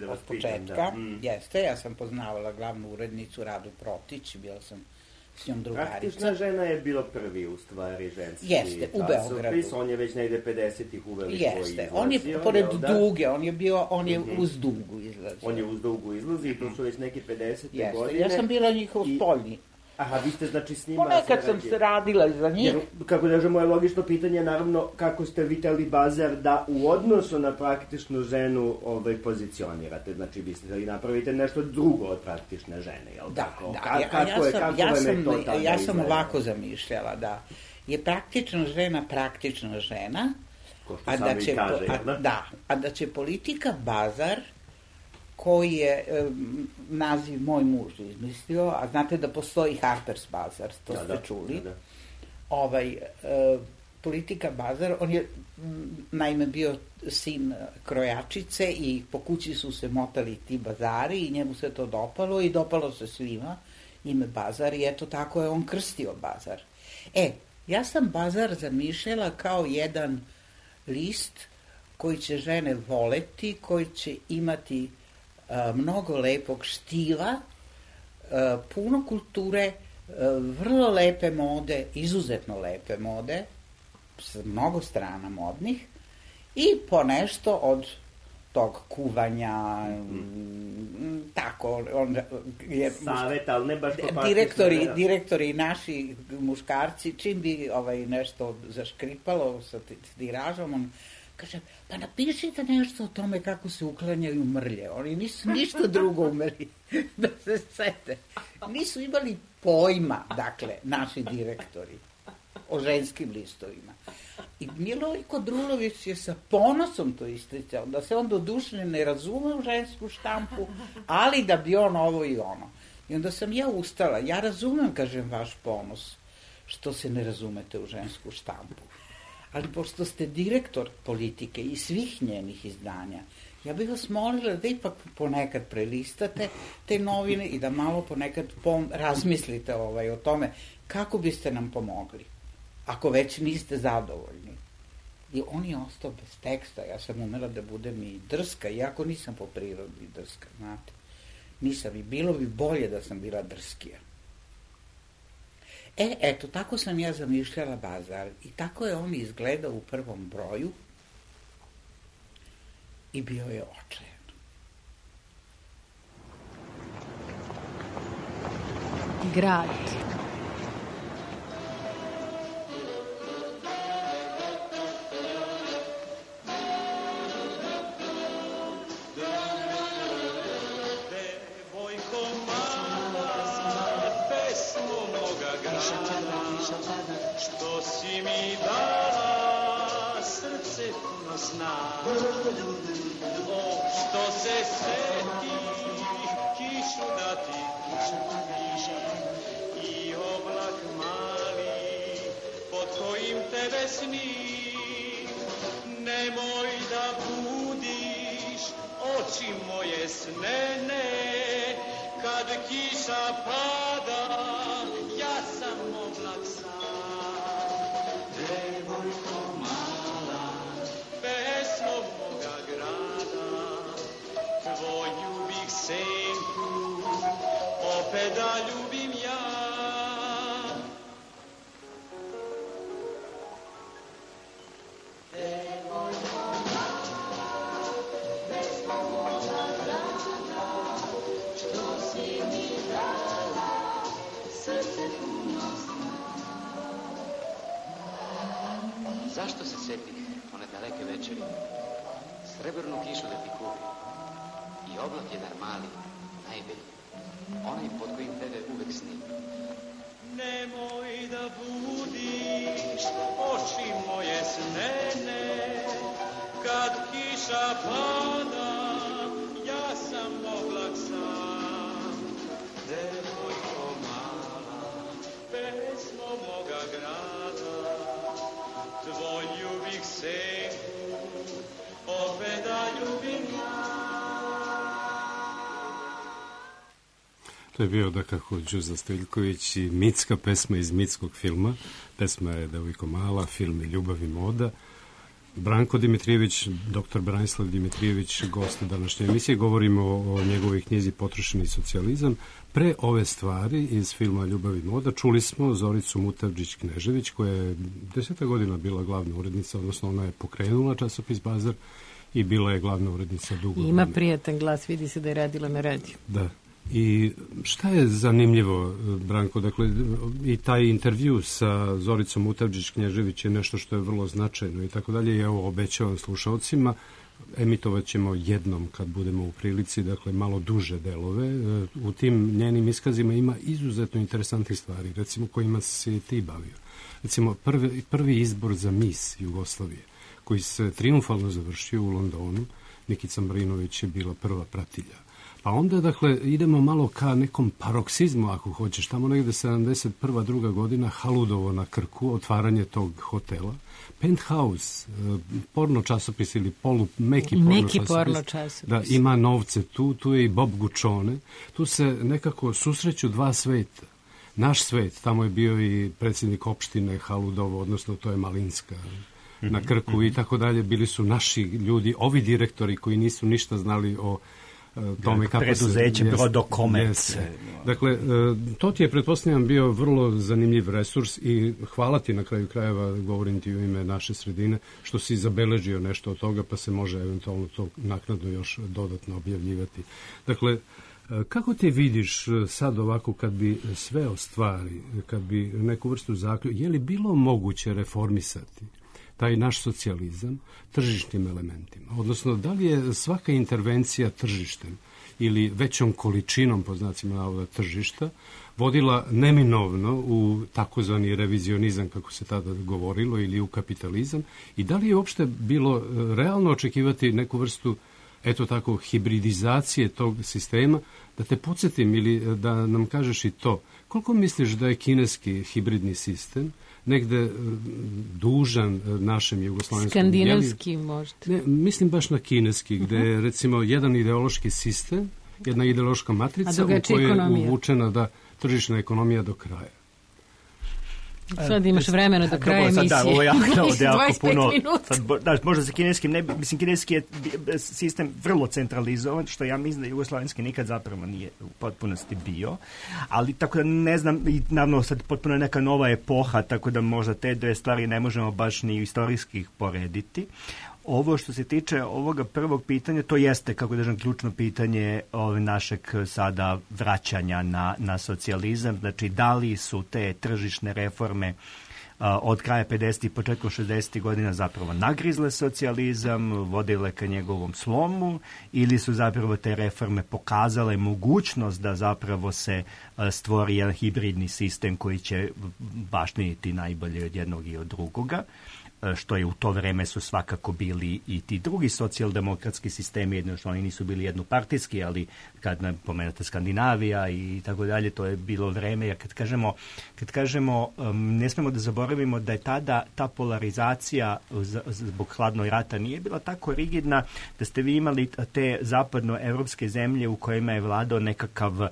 od početka. Jeste, ja sam poznavala glavnu urednicu Radu Protić, bila sam s njom drugarica. Praktična žena je bilo prvi u stvari ženski Jeste, u Beogradu. On je već negde 50-ih uveli svoj izlazio. Jeste, on je pored Duge, on je uz Dugu izlazio. On je uz Dugu izlazi i to su već neke 50. godine. Ja sam bila njihov spoljni. Aha, vi ste znači s njima... Ponekad sam se radila za njih. Jer, kako da moje logično pitanje je naravno kako ste vitali Bazar da u odnosu na praktičnu ženu pozicionirate. Znači, vi ste da napravite nešto drugo od praktične žene, jel tako? Ja sam ovako zamišljala da je praktična žena, a da će politika Bazar, koji je naziv moj muž izmislio, a znate da postoji Harper's Bazaar, to ste čuli. Politika Bazar, on je naime bio sin krojačice i po kući su se motali ti bazari i njemu se to dopalo i dopalo se svima ime Bazar i eto tako je on krstio Bazar. Ja sam Bazar zamišljala kao jedan list koji će žene voleti, koji će imati mnogo lepog štiva, puno kulture, vrlo lepe mode, izuzetno lepe mode, s mnogo strana modnih i ponešto od tog kuvanja, tako, savjet, ali ne baš direktori naši muškarci, čim bi nešto zaškripalo sa tiražom, on kaže, pa napišite nešto o tome kako se uklanjaju mrlje. Oni nisu ništa drugo umeli da se sete. Nisu imali pojma, dakle, naši direktori o ženskim listovima. I Milojko Drulović je sa ponosom to isticao, da se on doduše ne razume u žensku štampu, ali da bi on ovo i ono. I onda sam ja ustala. Ja razumem, kažem, vaš ponos što se ne razumete u žensku štampu. Ali pošto ste direktor Politike i svih njenih izdanja, ja bih vas molila da ipak ponekad prelistate te novine i da malo ponekad razmislite o tome kako biste nam pomogli, ako već niste zadovoljni. I on je ostao bez teksta, ja sam umela da budem i drska, iako nisam po prirodi drska, znate. Nisam i bilo bi bolje da sam bila drskija. Eto, tako sam ja zamišljala Bazar i tako je on izgledao u prvom broju i bio je očajan. Grad. Što si mi dala srce puno sna, što se seti kišu dati i oblak mali pod kojim tebe snim. Nemoj da budiš oči moje snene, kad kiša pada ja sam oblak sam. Devojko mala, pesmo moga grada, tvoju bih senku opet da ljubim ja. Devojko mala, pesmo moga grada, što si mi dala srce puno sna. Zašto se setih one daleke večeri, srebrnu kišu da ti kupi i oblak jedan mali, najbolji, onaj pod kojim tebe uvek snim. Nemoj da budiš oči moje snene, kad kiša pada, ja sam oblak sam. Devojko mala, pesmo grada, tvoju bih senku opet da ljubim ja. To je bio dakako Đuza Stojiljković i mitska pesma iz mitskog filma. Pesma je Devojko mala, film je Ljubav i moda. Branko Dimitrijević, dr. Branislav Dimitrijević, gost današnje emisije. Govorimo o njegovoj knjizi Potrošeni socijalizam. Pre ove stvari iz filma Ljubav i moda čuli smo Zoricu Mutavđić-Knežević, koja je 10 godina bila glavna urednica, odnosno ona je pokrenula časopis Bazar i bila je glavna urednica dugo. Ima prijatan glas, vidi se da je radila na radiju. Da. I šta je zanimljivo, Branko, dakle, i taj intervju sa Zoricom Mutavđić-Knježević je nešto što je vrlo značajno i tako dalje. Ja ovo obećavam slušalcima, emitovat ćemo jednom kad budemo u prilici, dakle, malo duže delove. U tim njenim iskazima ima izuzetno interesantnih stvari, recimo kojima se ti bavio. Recimo, prvi izbor za mis Jugoslavije, koji se triumfalno završio u Londonu, Nikica Marinović je bila prva pratilja. Pa onda, dakle, idemo malo ka nekom paroksizmu, ako hoćeš, tamo negde 71. druga godina, Haludovo na Krku, otvaranje tog hotela, Penthouse, porno časopis ili meki porno časopis. Da, ima novce tu je i Bob Guccione, tu se nekako susreću dva sveta. Naš svet, tamo je bio i predsjednik opštine Haludovo, odnosno to je Malinska na Krku i tako dalje, bili su naši ljudi, ovi direktori koji nisu ništa znali o tome kako preduzeće Brodokomerce. Dakle, to ti je, pretpostavljam, bio vrlo zanimljiv resurs i hvala ti na kraju krajeva, govorim ti u ime naše sredine, što si zabeležio nešto od toga, pa se može eventualno to naknadno još dodatno objavljivati. Dakle, kako ti vidiš sad ovako kad bi sve ostvari, kad bi neku vrstu zaključka, je li bilo moguće reformisati taj naš socijalizam tržišnim elementima? Odnosno, da li je svaka intervencija tržištem ili većom količinom, po znacima navoda, tržišta, vodila neminovno u takozvani revizionizam, kako se tada govorilo, ili u kapitalizam? I da li je uopšte bilo realno očekivati neku vrstu, eto tako, hibridizacije tog sistema? Da te podsjetim ili da nam kažeš i to, koliko misliš da je kineski hibridni sistem negde dužan našem jugoslovenskom... Skandinavski možda. Ne, mislim baš na kineski, gde je recimo jedan ideološki sistem, jedna ideološka matrica u kojoj je uvučena da tržišna ekonomija do kraja. Sad imaš vremena do kraja emisije. Da, ovo je jako puno. Sad, možda sa kineskim, mislim, kineski je sistem vrlo centralizovan, što ja mislim da jugoslovenski nikad zapravo nije u potpunosti bio, ali tako da ne znam, i naravno sad potpuno je neka nova epoha, tako da možda te dve stvari ne možemo baš ni istorijski porediti. Ovo što se tiče ovoga prvog pitanja, to jeste, kako kažem, ključno pitanje našeg sada vraćanja na socijalizam. Znači, da li su te tržišne reforme od kraja 50. i početkom 60. godina zapravo nagrizle socijalizam, vodile ka njegovom slomu, ili su zapravo te reforme pokazale mogućnost da zapravo se stvori jedan hibridni sistem koji će baštiniti najbolje od jednog i od drugoga, što je u to vreme su svakako bili i ti drugi socijaldemokratski sistemi, jedno što oni nisu bili jednopartijski, ali kad pomenete Skandinavija i tako dalje, to je bilo vreme, jer kad kažemo ne smemo da zaboravimo da je tada ta polarizacija zbog hladnog rata nije bila tako rigidna, da ste vi imali te zapadnoevropske zemlje u kojima je vladao nekakav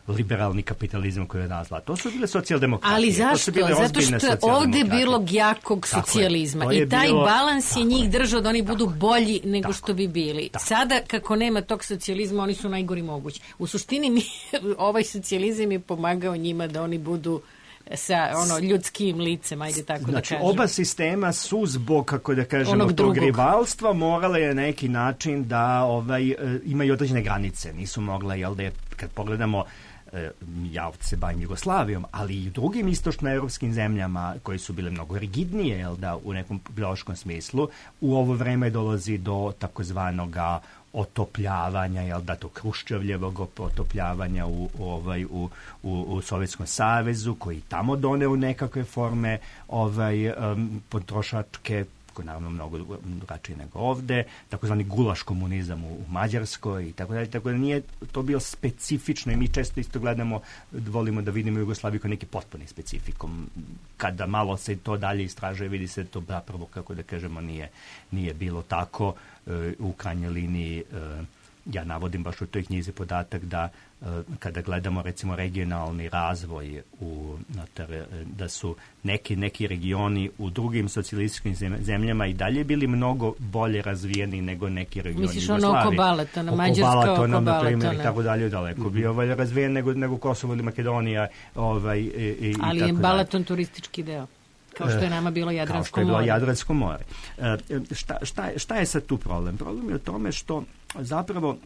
liberalni kapitalizam koji je nazva. To su bile socijaldemokratije. Ali zašto? Zato što je ovdje bilo jakog socijalizma i taj balans je njih držao da oni budu bolji nego što bi bili. Sada, kako nema tog socijalizma, oni su najgori mogući. U suštini ovaj socijalizam je pomagao njima da oni budu sa ljudskim licem, ajde tako da kažem. Oba sistema su zbog, kako da kažemo, tog rivalstva morale je na neki način da imaju određene granice. Nisu mogla, jel da, kad pogledamo, ja se bavim Jugoslavijom, ali i drugim istočnoevropskim zemljama koje su bile mnogo rigidnije, jel da, u nekom biološkom smislu, u ovo vreme dolazi do takozvanoga otopljavanja, jel da, to Hruščovljevog otopljavanja u Sovjetskom savezu, koji tamo doneo nekakve forme potrošačke je naravno mnogo drugačiji nego ovde, takozvani gulaš komunizam u Mađarskoj i tako dalje, tako da nije to bilo specifično i mi često isto gledamo, volimo da vidimo Jugoslaviju kao neki potpuni specifikum. Kada malo se to dalje istražuje, vidi se to zapravo, kako da kažemo, nije bilo tako. U krajnjoj liniji ja navodim baš u toj knjizi podatak da kada gledamo recimo regionalni razvoj da su neki regioni u drugim socijalističkim zemljama i dalje bili mnogo bolje razvijeni nego neki regioni Misliš Jugoslavije. ono oko Balatona, Mađarska oko Balatona. I tako dalje, daleko bio bolje razvijen nego Kosovo ili Makedonija. Ali je Balaton turistički deo. Kao što je nama bilo Jadransko more. Kao što je bilo Jadransko more. Šta je sad tu problem? Problem je u tome što zapravo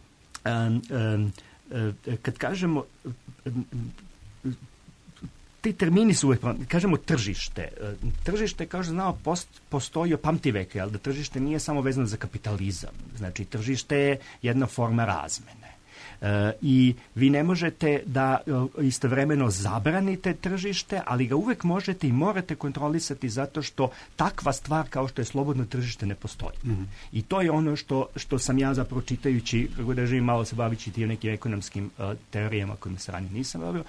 kad kažemo ti termini su uvijek, kažemo tržište. Tržište, kao što znamo, postoji od pamtiveka, ali da tržište nije samo vezano za kapitalizam. Znači, tržište je jedna forma razmene. I vi ne možete da istovremeno zabranite tržište, ali ga uvek možete i morate kontrolisati zato što takva stvar kao što je slobodno tržište ne postoji. I to je ono što sam ja zapravo čitajući, kako da živim malo se bavići tim nekim ekonomskim teorijama kojima se ranije nisam bavio,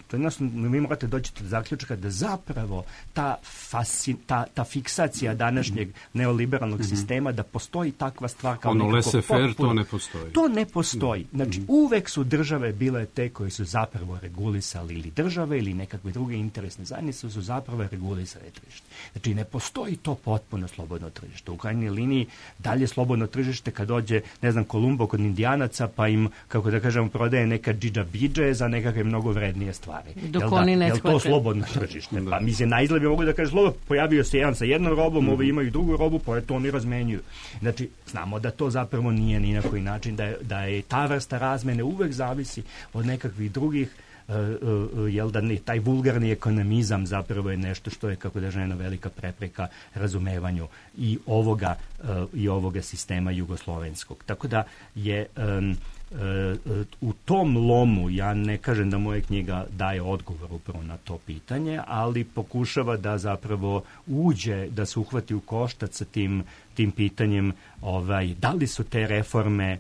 to jednostavno vi morate doći do zaključka da zapravo ta fiksacija današnjeg neoliberalnog sistema, da postoji takva stvar kao ono nekako laissez-faire, to ne postoji. To ne postoji. Znači, uvek su države bile te koje su zapravo regulisali, ili države ili nekakve druge interesne zajednice su zapravo regulisale tržište. Znači, ne postoji to potpuno slobodno tržište. U krajnjoj liniji dalje slobodno tržište kad dođe, ne znam, Kolumbo kod Indijanaca, pa im, kako da kažemo, prodaje neka džidža-bidže za nekakve mnogo vrednije stvari. Jel to slobodno tržište? Pa mislim, na izgled bi mogu da kaže slobodno, pojavio se jedan sa jednom robom, ovi imaju drugu robu, pa to oni razmenjuju. Znači, znamo da to zapravo nije ni na koji način, da je ta vrsta razmene uvek zavisi od nekakvih drugih, jel da taj vulgarni ekonomizam zapravo je nešto što je, kako da žena, velika prepreka razumevanju i ovoga sistema jugoslovenskog. Tako da je u tom lomu, ja ne kažem da moja knjiga daje odgovor upravo na to pitanje, ali pokušava da zapravo uđe, da se uhvati u koštac sa tim pitanjem da li su te reforme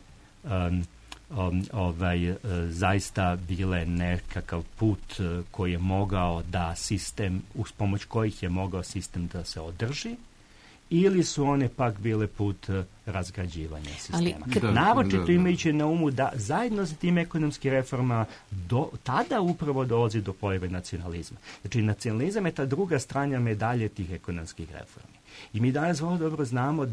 zaista bile nekakav put koji je mogao da sistem, uz pomoć kojih je mogao sistem da se održi, ili su one pak bile put razgrađivanja sistema. Naročito imajući na umu da zajedno sa tim ekonomskim reformama tada upravo dolazi do pojave nacionalizma. Znači, nacionalizam je ta druga strana medalje tih ekonomskih reformi. I mi danas vrlo dobro znamo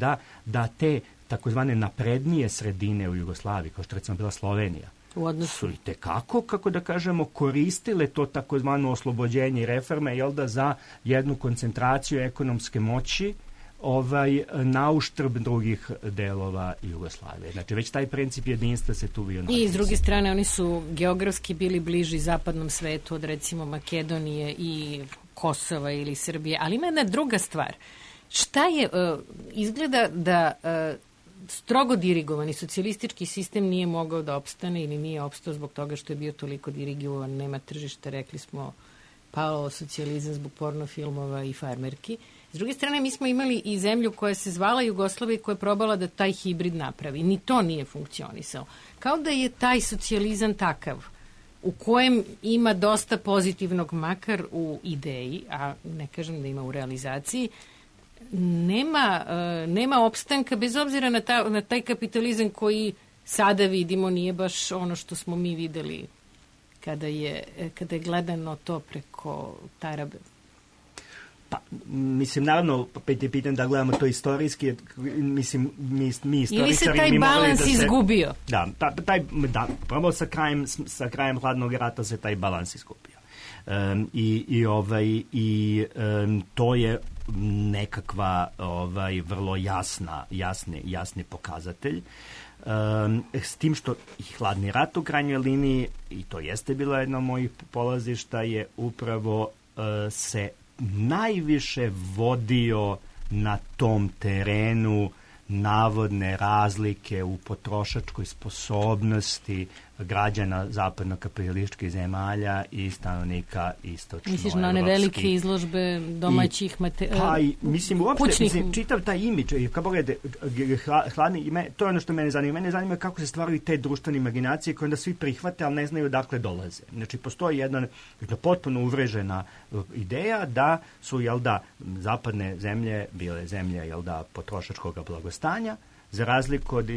da te takozvane naprednije sredine u Jugoslaviji, kao što recimo bila Slovenija, su i tekako, kako da kažemo, koristile to takozvano oslobođenje i reforme, jel da, za jednu koncentraciju ekonomske moći na uštrb drugih delova Jugoslavije. Znači, već taj princip jedinstva se tu bio nalazi. I s druge strane, oni su geografski bili bliži zapadnom svetu od recimo Makedonije i Kosova ili Srbije, ali ima jedna druga stvar. Šta je, izgleda da strogo dirigovani socijalistički sistem nije mogao da opstane ili nije opstao zbog toga što je bio toliko dirigovan, nema tržišta, rekli smo, pao socijalizam zbog pornofilmova i farmerki. S druge strane, mi smo imali i zemlju koja se zvala Jugoslavija i koja je probala da taj hibrid napravi. Ni to nije funkcionisalo. Kao da je taj socijalizam takav, u kojem ima dosta pozitivnog, makar u ideji, a ne kažem da ima u realizaciji, nema opstanka, bez obzira na taj kapitalizam koji sada vidimo nije baš ono što smo mi videli kada je gledano to preko Tarabe. Pa, mislim, naravno, opet je pitan da gledamo to istorijski, mislim, mi istoričari... Ili se taj balans izgubio? Da, prvo sa krajem hladnog rata se taj balans izgubio. To je nekakva vrlo jasni pokazatelj. S tim što i hladni rat u krajnjoj liniji, i to jeste bilo jedno od mojih polazišta, je upravo se najviše vodio na tom terenu navodne razlike u potrošačkoj sposobnosti građana zapadno-kapitalističkih zemalja i stanovnika istočno-evropskih. Misliš na one velike izložbe domaćih mislim, uopšte, čitav taj imidž, kako gledate, hladni, to je ono što mene zanima. Mene zanima kako se stvaraju te društvene imaginacije koje onda svi prihvate, ali ne znaju dakle dolaze. Znači, postoji jedna potpuno uvrežena ideja da su, zapadne zemlje bile zemlje, potrošačkog blagostanja, za razliku od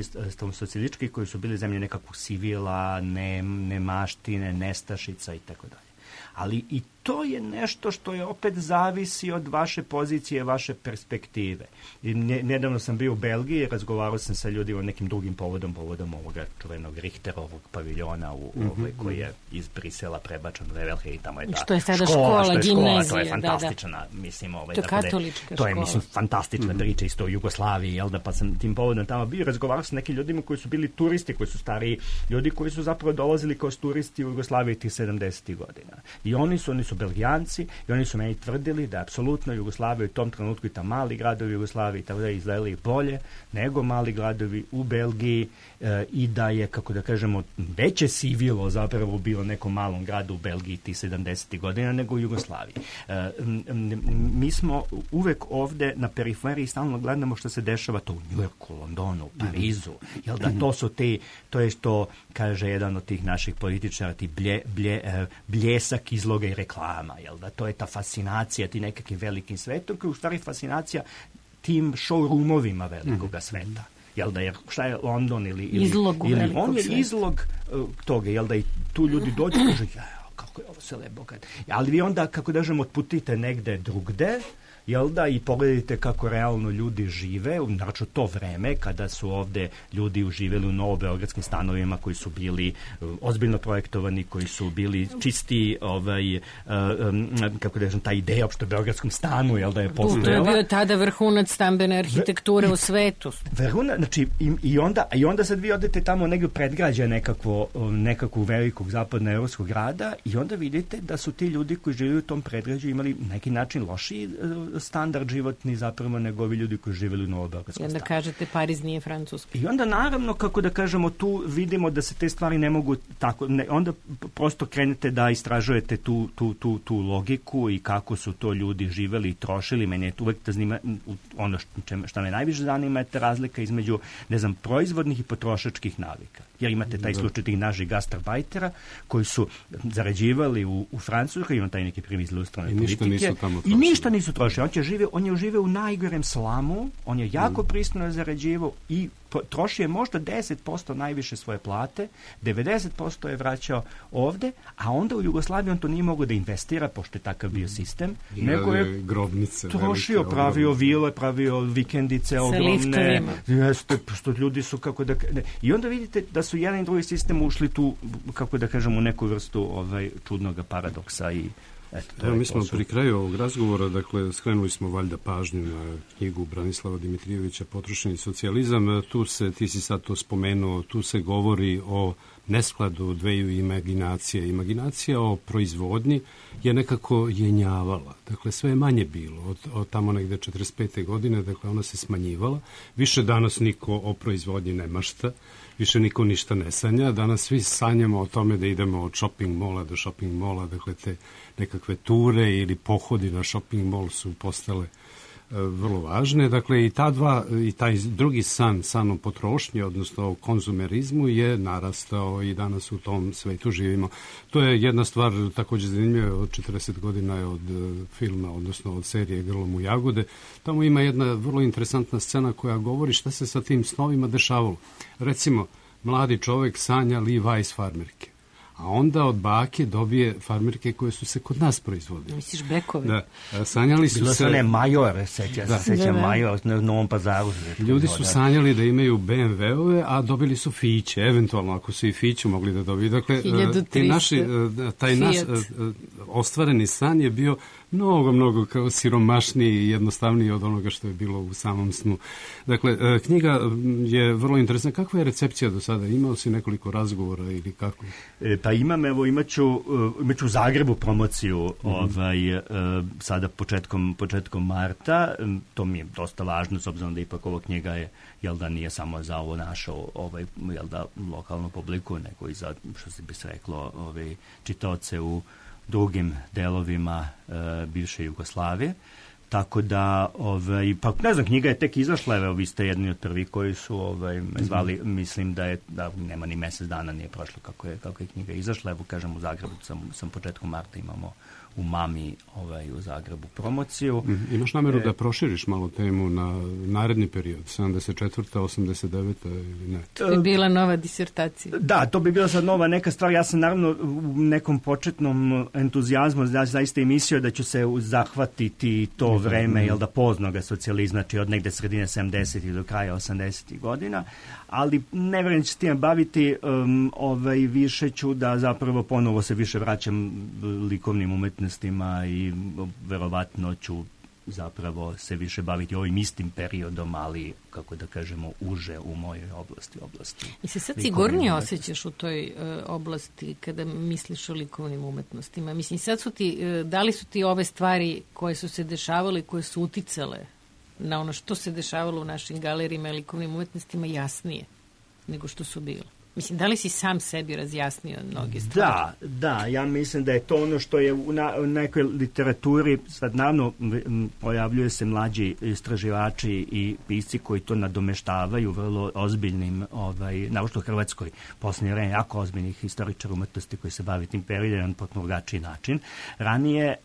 socijalističkih koji su bili zemlje nekakvog sivila, nemaštine, nestašica i tako dalje. Ali i to je nešto što je opet zavisi od vaše pozicije, vaše perspektive. I nedavno sam bio u Belgiji, razgovarao sam sa ljudima nekim drugim povodom ovoga čuvenog Richterovog paviljona koji je iz Brisela prebačen u Vevelhe i tamo je ta što je sada škola, gimnazija. To je fantastična, mislim, to je katolička škola. To je, mislim, fantastična priča isto o Jugoslaviji, pa sam tim povodom tamo bio, razgovarao sa nekim ljudima koji su bili turisti, koji su stariji ljudi koji su zapravo dolazili kao turisti u Jugoslaviji tih 70. godina. I oni su Belgijanci i oni su meni tvrdili da apsolutno Jugoslavija u tom trenutku i ta mali gradovi u Jugoslaviji tako da izgledali bolje nego mali gradovi u Belgiji i da je, kako da kažemo, veće sivilo zapravo bilo nekom malom gradu u Belgiji tih 70. godina nego u Jugoslaviji. Mi smo uvek ovde na periferiji stalno gledamo što se dešava to u Njujorku, Londonu, u Parizu. Jel da to su to je što kaže jedan od tih naših političara, ti bljesak izloga i reklama, jel da to je ta fascinacija ti nekakvim velikim svetom, koja je u stvari fascinacija tim showroomovima velikoga sveta. Jel da je, šta je London ili on je izlog toga, jel da i tu ljudi dođu i kažu, kako je ovo sve lepo. Ali vi onda, kako da kažem, otputite negde drugde, jel da, i pogledajte kako realno ljudi žive, znači to vreme kada su ovde ljudi uživeli u novobeogradskim stanovima koji su bili ozbiljno projektovani, koji su bili čisti, kako da kažem, ta ideja opšte o beogradskom stanu, jel da je postojala. To je bio tada vrhunac stambene arhitekture u svetu. Vrhunac, znači i onda sad vi odete tamo negdje predgrađe nekakvog velikog zapadnoevropskog grada i onda vidite da su ti ljudi koji žive u tom predgrađu imali neki način lošiji standard životni zapravo nego ovi ljudi koji živjeli u novobeogradskom stanu. I onda kažete Pariz nije Francuska. I onda naravno, kako da kažemo, tu vidimo da se te stvari ne mogu tako, onda prosto krenete da istražujete tu logiku i kako su to ljudi živjeli i trošili. Mene je uvek da zanima, ono što me najviše zanima je ta razlika između, proizvodnih i potrošačkih navika. Jer imate taj slučaj tih naših gastarbajtera koji su zarađivali u Francuskoj, imam taj neki primjer iz ilustrane politike. I ništa nisu trošili. On je živio u najgorem slamu, on je jako pristojno zarađivao i trošio je možda 10% najviše svoje plate, 90% je vraćao ovde, a onda u Jugoslaviji on to nije mogao da investira, pošto je takav bio sistem, nego je grobnice, trošio, pravio vile, pravio vikendice ogromne, što ljudi su, kako da... I onda vidite da su jedan i drugi sistem ušli tu, kako da kažem, u neku vrstu čudnog paradoksa i Evo, mi smo pri kraju ovog razgovora, dakle, skrenuli smo valjda pažnju na knjigu Branislava Dimitrijevića Potrošeni socijalizam. Tu se, ti si sad to spomenuo, tu se govori o neskladu dveju imaginacije. Imaginacija o proizvodnji je nekako jenjavala. Dakle, sve je manje bilo. Od tamo negde 45. godine, dakle, ona se smanjivala. Više danas niko o proizvodnji ne mašta. Više niko ništa ne sanja. Danas svi sanjamo o tome da idemo od shopping mola do shopping mola. Dakle, te nekakve ture ili pohodi na shopping mall su postale vrlo važne. Dakle, i taj drugi san o potrošnji, odnosno o konzumerizmu je narastao i danas u tom svetu živimo. To je jedna stvar također zanimljiva, od 40 godina je od filma, odnosno od serije Grlom u jagode. Tamo ima jedna vrlo interesantna scena koja govori šta se sa tim snovima dešavalo. Recimo, mladi čovjek sanja Levi's farmerke. A onda od bake dobije farmerke koje su se kod nas proizvodile. Misliš bekove? Da. Sanjali su bilo se... Bilo Major, sećam Major na Novom Pazaru. Ljudi su sanjali da imaju BMW-ove, a dobili su Fiće. Eventualno, ako su i Fiću mogli da dobiju. Dakle, taj naš ostvareni san je bio mnogo kao siromašniji i jednostavniji od onoga što je bilo u samom snu. Dakle, knjiga je vrlo interesantna. Kakva je recepcija do sada? Imao si nekoliko razgovora ili kako? Pa imaću u Zagrebu promociju sada početkom marta. To mi je dosta važno, s obzirom da ipak ova knjiga je, nije samo za ovo našu lokalnu publiku, nego i za, što bi se reklo, čitaoce u drugim delovima bivše Jugoslavije. Tako da, pa ne znam, knjiga je tek izašla, evo, vi ste jedni od prvi koji su me zvali, mislim da nema ni mesec dana nije prošlo kako je knjiga izašla, evo kažem u Zagrebu sam početkom marta imamo u Mami u Zagrebu promociju. Imaš nameru da proširiš malo temu na naredni period, 74. 89. ili ne? To bi bila nova disertacija. Da, to bi bila sad nova neka stvar. Ja sam naravno u nekom početnom entuzijazmu zaista i mislio da ću se zahvatiti to vreme, poznoga socijalizma, znači od negde sredine 70. do kraja 80. godina, ali ne vjerujem da ću s tim baviti, više ću da zapravo ponovo se više vraćam likovnim umetnostima i verovatno ću zapravo se više baviti ovim istim periodom, ali, kako da kažemo, uže u mojoj oblasti. I se sad sigurnije osjećaš u toj oblasti kada misliš o likovnim umetnostima? Mislim, sad da li su ti ove stvari koje su se dešavale, koje su uticale na ono što se dešavalo u našim galerijima i likovnim umetnostima jasnije nego što su bile? Mislim, da li si sam sebi razjasnio mnoge stvari? Da, ja mislim da je to ono što je u nekoj literaturi, sad naravno pojavljuje se mlađi istraživači i pisci koji to nadomeštavaju vrlo ozbiljnim, naročito u Hrvatskoj, posljednje vreme jako ozbiljnih historičara umetnosti koji se bavi tim periodom na potpuno drugačiji način. Ranije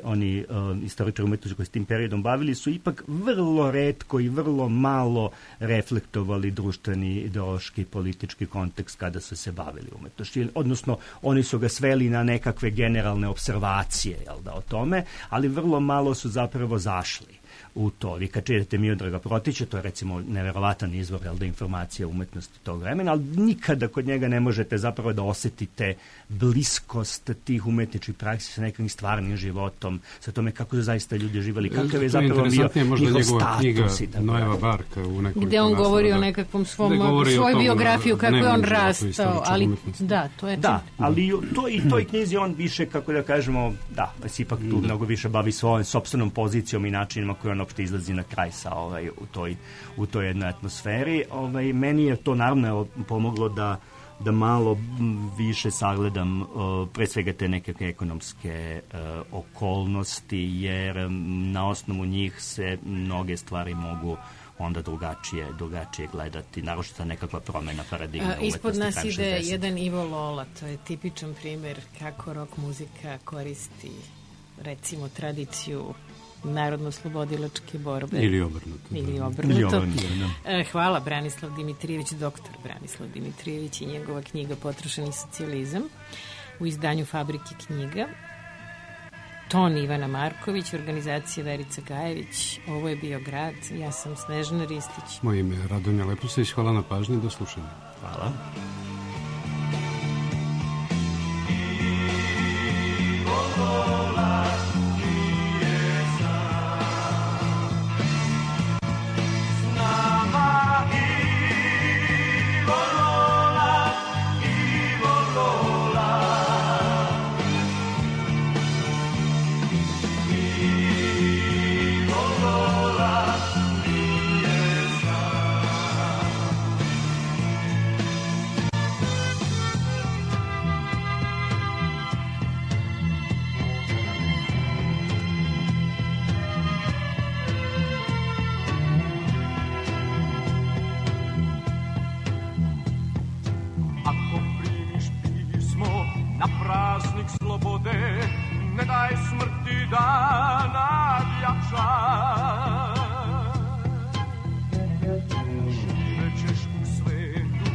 oni historičari umetnosti koji se tim periodom bavili su ipak vrlo retko i vrlo malo reflektovali društveni, ideološki, politički kontekst kada su se bavili umetnošću. Odnosno, oni su ga sveli na nekakve generalne observacije o tome, ali vrlo malo su zapravo zašli u to. Vi kad čitate Miodraga Protića, to je recimo neverovatan izvor informacija o umetnosti tog vremena, ali nikada kod njega ne možete zapravo da osjetite bliskost tih umetničkih praksi sa nekim stvarnim životom, sa tome kako su zaista ljudi živjeli, kakav je zapravo bio njihov status. Nojeva Barka u nekoliko gde on govori o nekakvom svoju biografiju, kako je on rastao, ali da, to je da, ali u toj knjizi on više, kako da kažemo, se ipak tu mnogo više bavi svojom sopstvenom pozicijom i načinima koje on opšte izlazi na kraj sa u toj jednoj atmosferi. Meni je to naravno pomoglo da malo više sagledam pre svega te nekakve ekonomske okolnosti, jer na osnovu njih se mnoge stvari mogu onda drugačije gledati, naročito nekakva promena paradigme umetnosti. Ispod nas ide jedan Ivo Lola, to je tipičan primjer kako rock muzika koristi, recimo, tradiciju narodno-slobodilačke borbe. Ili obrnuto. Hvala, Branislav Dimitrijević, doktor Branislav Dimitrijević i njegova knjiga Potrošeni socijalizam u izdanju Fabrike knjiga. Ton Ivana Marković, organizacija Verica Gajević. Ovo je bio Grad. Ja sam Snežana Ristić. Moje ime je Radonja Lepusević. Hvala na pažnji. Do slušanja. Hvala. Ne daj smrti da nadjača. Živećeš u svetu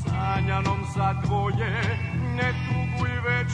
sanjanom za dvoje, ne tuguj već